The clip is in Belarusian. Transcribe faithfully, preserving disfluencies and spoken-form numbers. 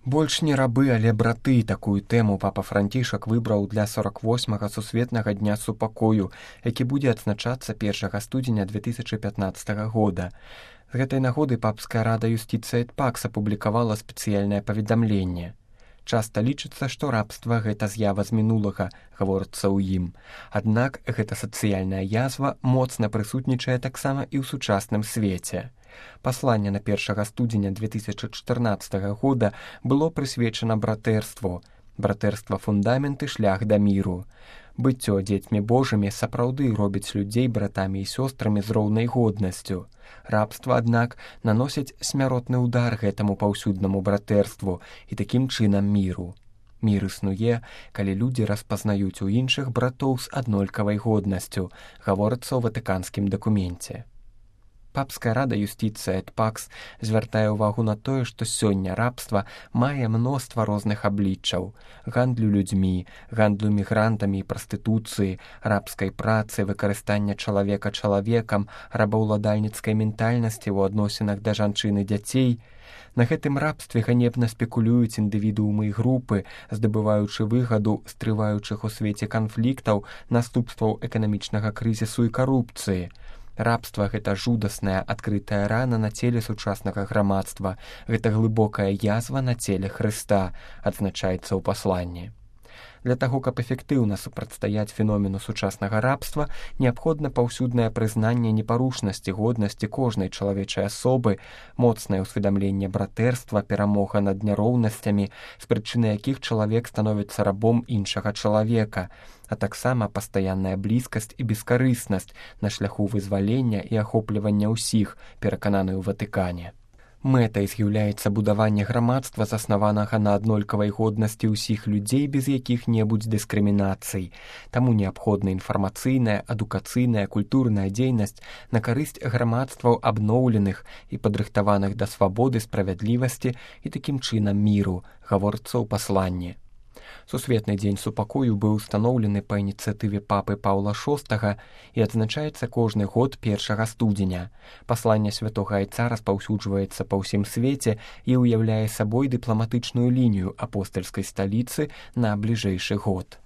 Больш не рабы, але браты. Такую тэму папа Францішак выбраў для сорок восьмага сусветнага дня супакою, які будзе адзначацца першага студзеня две тысячы пятнаццатага года. З гэтай нагоды папская рада юстыцыі эт пакс апублікавала спецыяльнае паведамленне. Часта лічыцца, што рабства гэта з'ява з мінулага, гаворыцца ў ім. Аднак гэта сацыяльная язва моцна прысутнічае таксама і ў сучасным свеце. Пасланне на першага студзеня две тысячы чатырнаццатага года было прысвечана братэрству. Братэрства фундамент і шлях да міру. Быццё дзецьмі Божымі сапраўды робіць людзей братамі і сёстрамі з роўнай годнасцю. Рабства, аднак, наносіць смяротны ўдар гэтаму паўсюднаму братэрству і такім чынам міру. Мір існуе, калі людзі распазнаюць у іншых братоў з аднолькавай годнасцю, гаворыцца ў ватыканскім дакуменце. Папская рада юстыцыі эт пакс звяртае ўвагу на тое, што сёння рабства мае мноства розных абліччаў: гандлю людзьмі, гандлю мігрантамі і прастытуцыі, рабскай працы, выкарыстання чалавека чалавекам, рабаўладальніцкай ментальнасці ў адносінах да жанчын і дзяцей. На гэтым рабстве ганебна спекулююць індывідуумы і групы, здабываючы выгаду з трываючых у свеце канфліктаў, наступстваў эканамічнага крызісу і карупцыі. Рабства — гэта жудасная адкрытая рана на целе сучаснага грамадства, гэта глыбокая язва на целе Хрыста, адзначаецца ў пасланні. Для таго, каб эфектыўна супрацьстаяць феномену сучаснага рабства, неабходна паўсюднае прызнанне непарушнасці годнасці кожнай чалавечай асобы, моцнае ўсведамленне братэрства, перамога над няроўнасцямі, з прычыны якіх чалавек становіцца рабом іншага чалавека, а таксама пастаянная блізкасць і бескарыснасць на шляху вызвалення і ахоплівання ўсіх, перакананы ў Ватыкане. Мэтай з'яўляецца будаванне грамадства, заснаванага на аднолькавай годнасці ўсіх людзей без якіх-небудзь дыскрымінацый. Таму неабходна інфармацыйная, адукацыйная, культурная дзейнасць на карысць грамадстваў абноўленых і падрыхтаваных да свабоды, справядлівасці і такім чынам міру, гаворыцца ў пасланні. Сусветны дзень супакою быў устаноўлены па ініцыятыве папы Паўла шостага і адзначаецца кожны год першага студзеня. Пасланне святога айца распаўсюджваецца па ўсім свеце і ўяўляе сабой дыпламатычную лінію апостальскай сталіцы на бліжэйшы год.